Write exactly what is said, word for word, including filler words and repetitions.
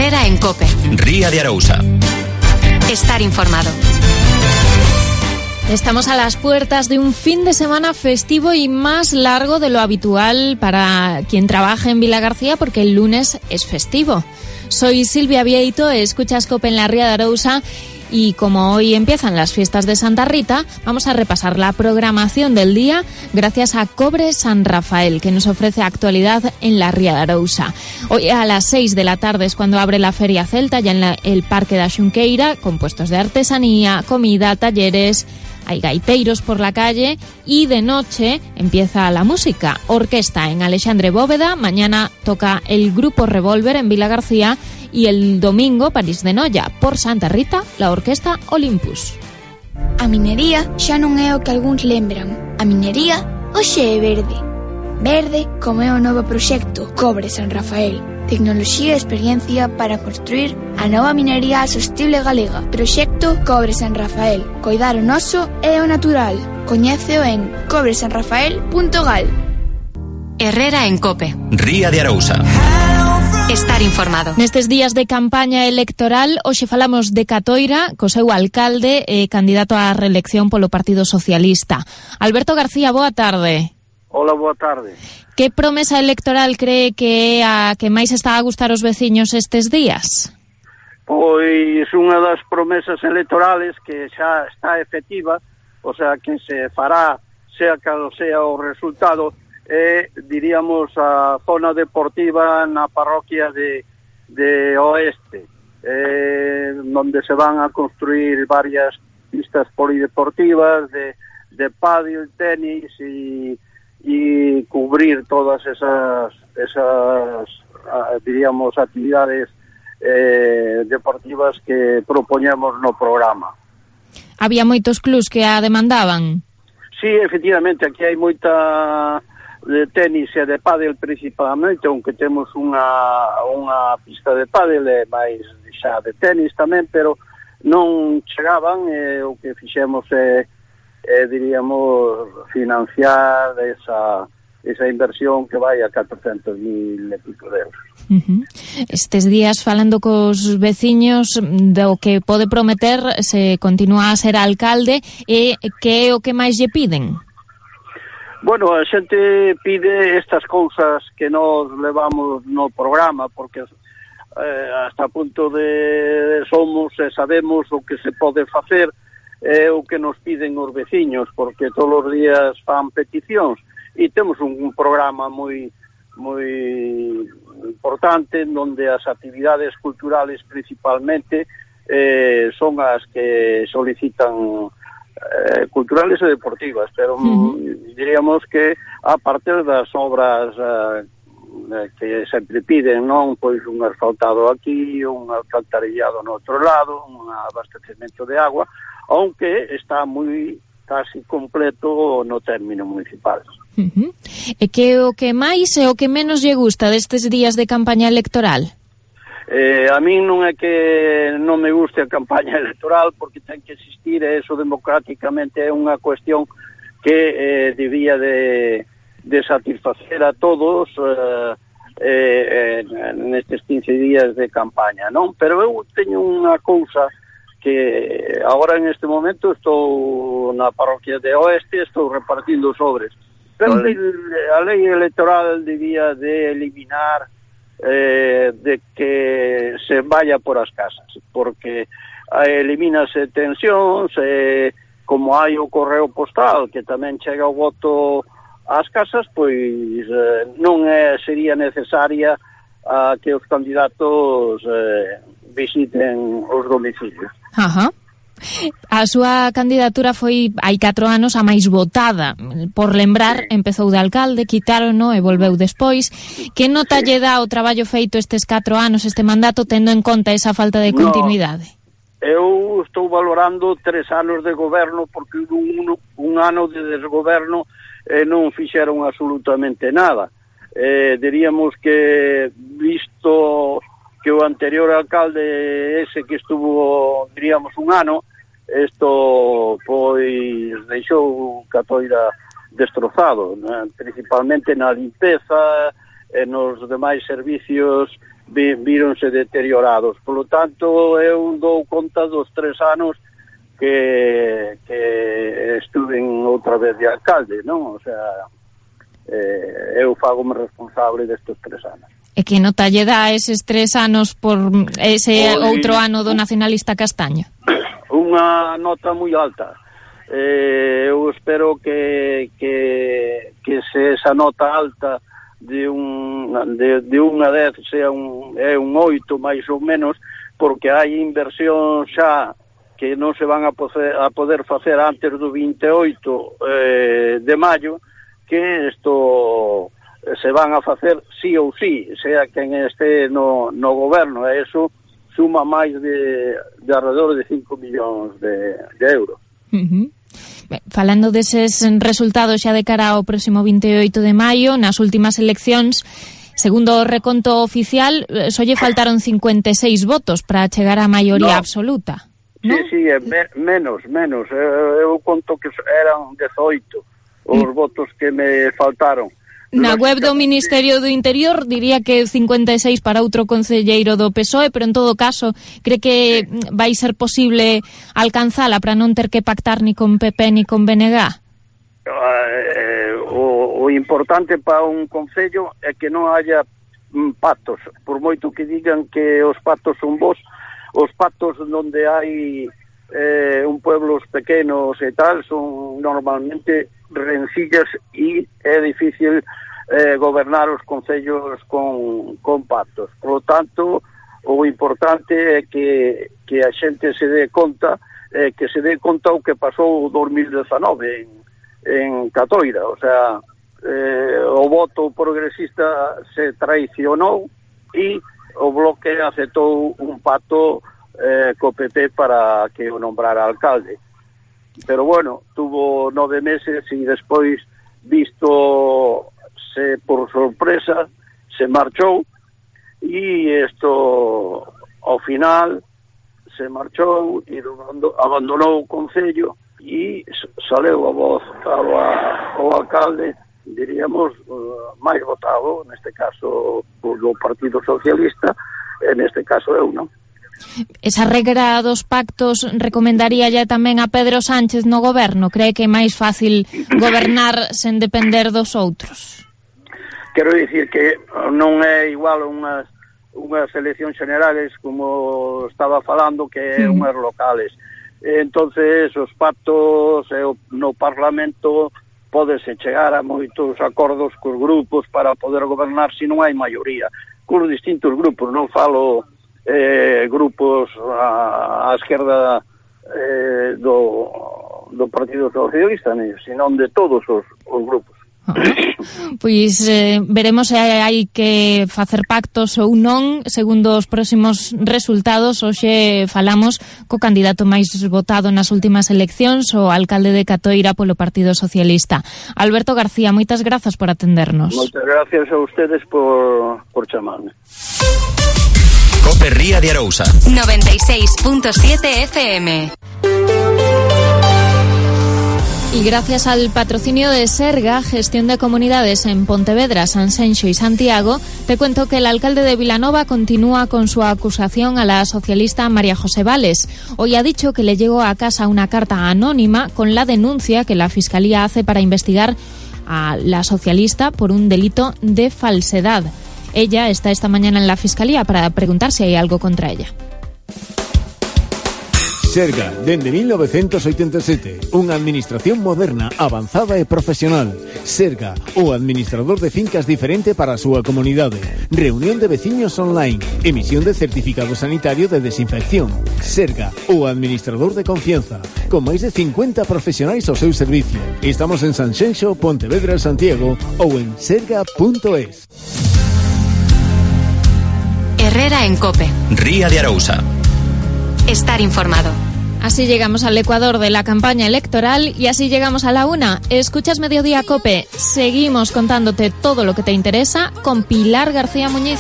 Herrera en COPE. Ría de Arousa. Estar informado. Estamos a las puertas de un fin de semana festivo y más largo de lo habitual para quien trabaja en Vilagarcía, porque el lunes es festivo. Soy Silvia Vieito, escuchas COPE en la Ría de Arousa. Y como hoy empiezan las fiestas de Santa Rita, vamos a repasar la programación del día gracias a Cobre San Rafael, que nos ofrece actualidad en la Ría de Arousa. Hoy a las seis de la tarde es cuando abre la Feria Celta, ya en la, el Parque da Xunqueira, con puestos de artesanía, comida, talleres. Hay gaiteiros por la calle y de noche empieza la música. Orquesta en Alexandre Bóveda, mañana toca el Grupo Revolver en Vilagarcía y el domingo París de Noia. Por Santa Rita, la Orquesta Olympus. A minería xa non é o que algúns lembran. A minería hoxe é verde. Verde como é o novo proxecto Cobre San Rafael. Tecnoloxía e experiencia para construir a nova minería sostible galega. Proxecto Cobre San Rafael. Coidar o noso e o natural. Coñéceo en cobre san rafael punto gal. Herrera en COPE. Ría de Arousa. Estar informado. Nestes días de campaña electoral, hoxe falamos de Catoira, co seu alcalde e candidato á reelección polo Partido Socialista. Alberto García, boa tarde. Hola, boa tarde. Que promesa electoral cree que é a que máis está a gustar os veciños estes días? Pois unha das promesas electorales que xa está efectiva, o sea, que se fará, sea cal sea o resultado, é, diríamos, a zona deportiva na parroquia de, de Oeste, eh, onde se van a construir varias pistas polideportivas de, de pádel, tenis e y cubrir todas esas, esas diríamos, actividades eh, deportivas que propoñemos no programa. Había moitos clubs que a demandaban? Sí, efectivamente, aquí hai moita de tenis e de pádel principalmente, aunque temos unha, unha pista de pádel e máis xa de tenis tamén, pero non chegaban, e o que fixemos é Eh, diríamos, financiar esa, esa inversión que vai a catrocentos mil e pico de euros. Uh-huh. Estes días, falando cos veciños do que pode prometer se continúa a ser alcalde, e que é o que máis lle piden? Bueno, a xente pide estas cousas que nos levamos no programa, porque eh, hasta punto de somos e sabemos o que se pode facer, é o que nos piden os veciños, porque todos os días fan peticións e temos un, un programa moi moi importante onde as actividades culturales principalmente eh, son as que solicitan eh, culturales e deportivas, pero uh-huh. diríamos que a partir das obras eh, que sempre piden, non? Pois un asfaltado aquí, un alcantarillado no outro lado, un abastecemento de agua, aunque está moi casi completo no término municipal. Uh-huh. E que o que máis e o que menos lle gusta destes días de campaña electoral? Eh, a mí non é que non me guste a campaña electoral, porque ten que existir, e eso democráticamente é unha cuestión que eh, debía de, de satisfacer a todos eh, eh, nestes quince días de campaña, non? Pero eu teño unha cousa que agora en este momento estou na parroquia de Oeste, estou repartindo sobres, pero a lei, a lei electoral debía de eliminar eh, de que se vaya por as casas, porque eh, elimínase tensións, eh, como hai o correo postal que tamén chega o voto ás casas, pois eh, non é, sería necesaria a que os candidatos eh, visiten os domicilios. Ajá. A súa candidatura foi hai catro anos a máis votada. Por lembrar, sí. Empezou de alcalde, quitárono e volveu despois. Que nota sí. lle dá o traballo feito estes catro anos, este mandato, tendo en conta esa falta de continuidade? No, eu estou valorando tres anos de goberno, porque un, un ano de desgoberno eh, non fixeron absolutamente nada. Eh, diríamos que, visto que o anterior alcalde ese que estuvo, diríamos, un ano, isto pois deixou Catoira destrozado, né? Principalmente na limpeza e nos demais servicios vi, víronse deteriorados. Por lo tanto, eu dou conta dos tres anos que, que estuve outra vez de alcalde, non? O sea, eh, eu fago-me responsable destes tres anos. E que nota lle dá eses tres anos por ese Oi, outro ano do nacionalista Castaño? Unha nota moi alta. Eh, eu espero que, que, que se esa nota alta de un de, de unha dez sea un, é un oito máis ou menos, porque hai inversión xa que non se van a poder, a poder facer antes do veintioito eh, de maio, que isto se van a facer sí ou sí, sea quen este no, no goberno, e eso suma máis de, de alrededor de cinco millóns de, de euros. Uh-huh. Falando deses resultados xa de cara ao próximo veintioito de maio, nas últimas eleccións, segundo o reconto oficial, só lle faltaron cincuenta e seis votos para chegar á maioría no. absoluta. Sí, ¿no? sí, me, menos, menos. Eu, eu conto que eran dezoito os mm. votos que me faltaron. Na web do Ministerio do Interior diría que cincuenta e seis para outro concelleiro do P S O E, pero en todo caso, cree que sí. vai ser posible alcanzala para non ter que pactar ni con P P ni con B N G? Eh, o, o importante para un concello é que non haya mm, pactos, por moito que digan que os pactos son bons, os pactos onde hai eh, un pueblos pequenos e tal son normalmente rencillas e é difícil eh, gobernar os concellos con, con pactos. Por lo tanto, o importante é que, que a xente se dé conta, eh, que se dé conta o que pasou o dos mil dezanove en, en Catoira. O sea, eh, o voto progresista se traicionou e o Bloque aceptou un pacto eh, co P P para que o nombrara alcalde. Pero bueno, tuvo nove meses e despois, visto se por sorpresa, se marchou e isto ao final se marchou e abandonou o concello e saleu a voz ao, ao alcalde, diríamos, uh, máis votado, neste caso do Partido Socialista, e neste caso eu, non? Esa regra dos pactos recomendaría ya tamén a Pedro Sánchez no goberno? Cree que é máis fácil gobernar sen depender dos outros? Quero dicir que non é igual unhas, unhas eleccións generales como estaba falando que é unhas locales. Entonces os pactos no Parlamento pódese chegar a moitos acordos cos grupos para poder gobernar se non hai maioría. Cos distintos grupos, non falo eh, grupos á, á esquerda eh, do, do Partido Socialista, senón de todos os, os grupos. Ah, pois eh, veremos se hai que facer pactos ou non segundo os próximos resultados. Hoxe falamos co candidato máis votado nas últimas eleccións, o alcalde de Catoira polo Partido Socialista, Alberto García. Moitas grazas por atendernos. Moitas gracias a ustedes por, por chamarme. Cope Ría de Arousa noventa y seis punto siete F M. Y gracias al patrocinio de Serga, Gestión de Comunidades en Pontevedra, Sanxenxo y Santiago, te cuento que el alcalde de Vilanova continúa con su acusación a la socialista María José Vales. Hoy ha dicho que le llegó a casa una carta anónima con la denuncia que la Fiscalía hace para investigar a la socialista por un delito de falsedad. Ella está esta mañana en la Fiscalía para preguntar si hay algo contra ella. Serga, dende mil novecientos oitenta e sete, unha administración moderna, avanzada e profesional. Serga, o administrador de fincas diferente para a súa comunidade. Reunión de veciños online, emisión de certificado sanitario de desinfección. Serga, o administrador de confianza, con máis de cincuenta profesionais ao seu servicio. Estamos en Sanxenxo, Pontevedra, Santiago ou en serga punto es. Herrera en Cope. Ría de Arousa. Estar informado. Así llegamos al Ecuador de la campaña electoral y así llegamos a la una. Escuchas Mediodía Cope. Seguimos contándote todo lo que te interesa con Pilar García Muñiz.